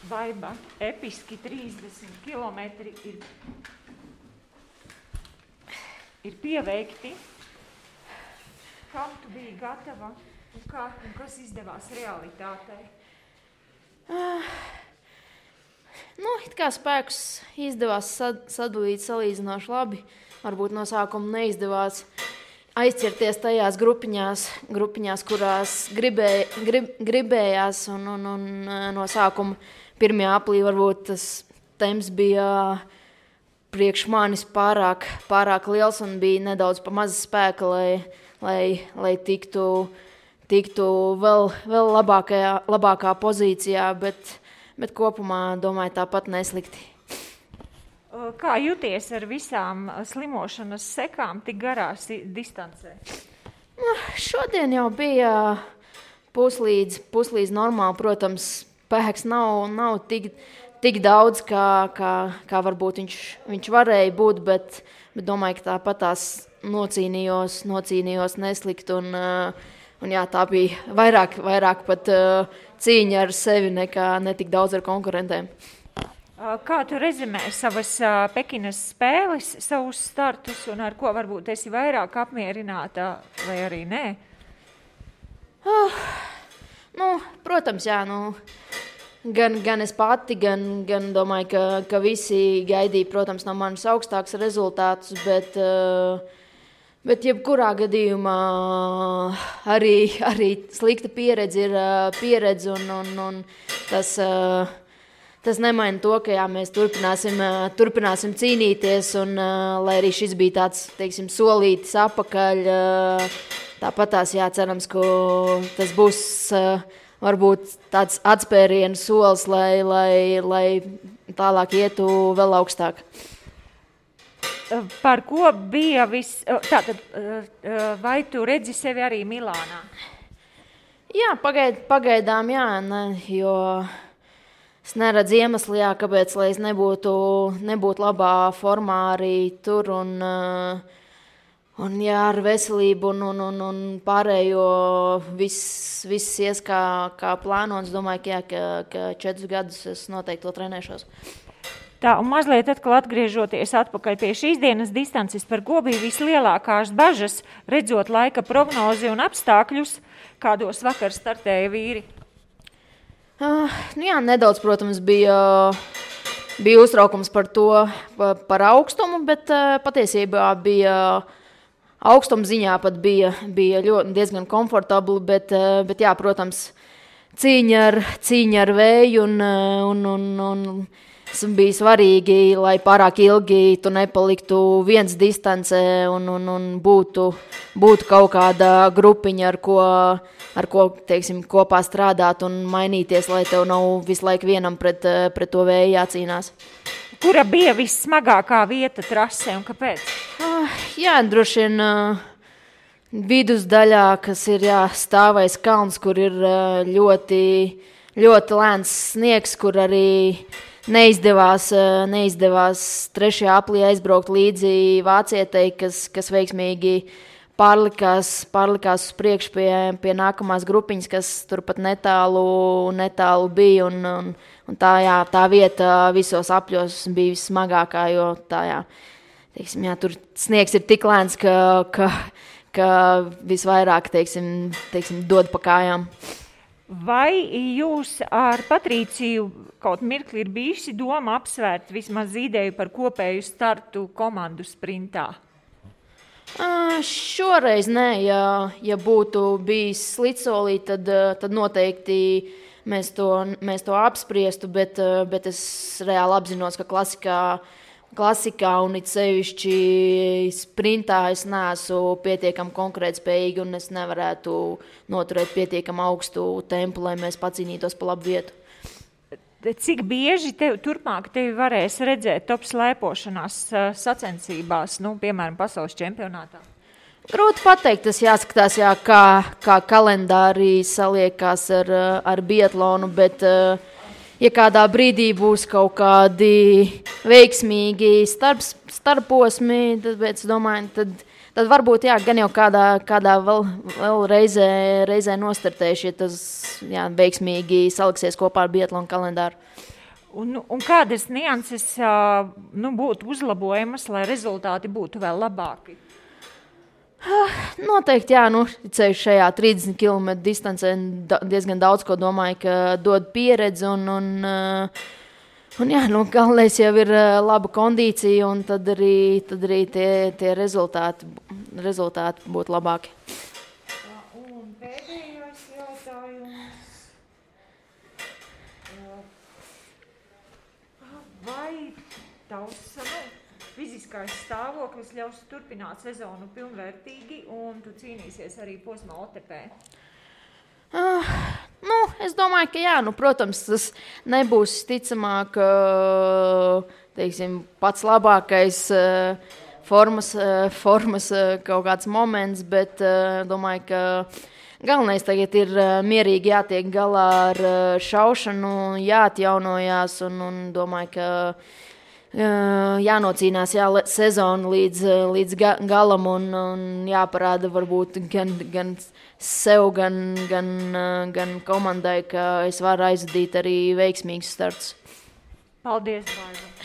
Vaiba, episki 30 kilometri ir pieveikti. Kam tu biji gatava un kas izdevās realitātei? It kā spēkus izdevās sadalīt salīdzinoši labi. Varbūt no sākuma neizdevās aizķerties tajās grupiņās, kurās gribējās. Un no sākuma pirmajā aplī varbūt tas temps bija priekš manis pārāk liels un bija nedaudz pa maza spēka, lai tiktu vēl labākā pozīcijā, bet kopumā, domāju, tāpat neslikti. Kā jūties ar visām slimošanas sekām tik garās distancē? Šodien jau bija puslīdz normāli. Protams, spēks nav tik daudz, kā varbūt viņš varēja būt, bet domāju, ka tāpat tās nocīnījos neslikt. Un jā, tā bija vairāk pat cīņa ar sevi nekā netik daudz ar konkurentiem. Kā tu rezimē savas Pekinas spēles, savus startus un ar ko varbūt esi vairāk apmierināta vai arī nē? Protams, jā. Gan es pati, gan domāju, ka visi gaidīja, protams, no manis augstāks rezultātus, bet jebkurā gadījumā arī slikta pieredze ir pieredze un tas nemaina to, ka jā, mēs turpināsim cīnīties, un lai arī šis bija tāds, teiksim, solītis apakaļ, tāpat tās cerams, ka tas būs varbūt tāds atspērienu solis, lai tālāk ietu vēl augstāk. Par ko bija tātad, vai tu redzi sevi arī Milānā? Jā, pagaidām jā, jo es neredzu iemeslu, kāpēc, lai es nebūtu labā formā arī tur, un jā, ar veselību un pārējo viss ies kā plānots. Domāju, ka 4 gadus es noteikti to trenēšos. Tā, un mazliet atkal atgriežoties atpakaļ pie šīs dienas distances, par ko bija vislielākās bažas, redzot laika prognozi un apstākļus, kādos vakar startēja vīri? Jā, nedaudz, protams, bija uztraukums par to, par augstumu, bet patiesībā bija augstuma ziņā pat bija diezgan komfortabli, bet jā, protams, cīņa ar vēju un bija svarīgi, lai pārāk ilgi tu nepaliktu viens distancē un būtu kaut kāda grupiņa, ar ko teiksim, kopā strādāt un mainīties, lai tev nav visu laiku vienam pret to vēju jācīnās. Kura bija vissmagākā vieta trasē un kāpēc? Jā, droši vien vidusdaļā, kas ir stāvais kalns, kur ir ļoti, ļoti lēns sniegs, kur arī neizdevās 3. aplī aizbraukt līdzi vācietei, kas veiksmīgi pārlikās uz priekšu pie nākamās grupiņas, kas turpat netālu bija, un tā vieta visos apļos bija vissmagākā, jo teiksim, tur sniegs ir tik lēns, ka visvairāk, teiksim, dod pa kājām. Vai jūs ar Patrīciju kaut mirkli ir bijusi doma apsvērt vismaz ideju par kopēju startu komandu sprintā? Šoreiz nē, ja būtu bijis slidsolī, tad noteikti mēs to apspriestu, bet es reāli apzinos, ka klasikā un it sevišķi sprintā es neesmu pietiekami konkurētspējīgi un es nevarētu noturēt pietiekami augstu tempu, lai mēs pacīnītos pa labu vietu. Cik bieži turpmāk tevi varēs redzēt top slēpošanās sacensībās, piemēram, pasaules čempionātā? Grūti pateikt, tas jāskatās, kā kalendārī saliekās ar biatlonu, bet ja kādā brīdī būs kaut kādi veiksmīgi starposmi, tad es domāju, tad varbūt gan jau kādā vēl reizē nostartēšu, ja tas veiksmīgi saliksies kopā ar biatlonu kalendāru. Un kādas nianses būtu uzlabojamas, lai rezultāti būtu vēl labāki? Noteikti, jā, ceļš šajā 30 km distancē diezgan daudz ko domāju, ka dod pieredzi un jā, galvenais jau ir laba kondīcija un tad arī tie rezultāti būtu labāki. Un pēdējais jautājums. Vai tavs fiziskais stāvoklis ļaus turpināt sezonu pilnvērtīgi un tu cīnīsies arī posmā OTP? Es domāju, ka jā, protams, tas nebūs ticamāk, teiksim, pats labākais formas kaut kāds moments, bet domāju, ka galvenais tagad ir mierīgi jātiek galā ar šaušanu, jāatjaunojās un domāju, ka jānocīnās sezonu līdz galam un jāparāda varbūt gan sev, gan komandai, ka es varu aizvadīt arī veiksmīgus starts. Paldies, Baiba!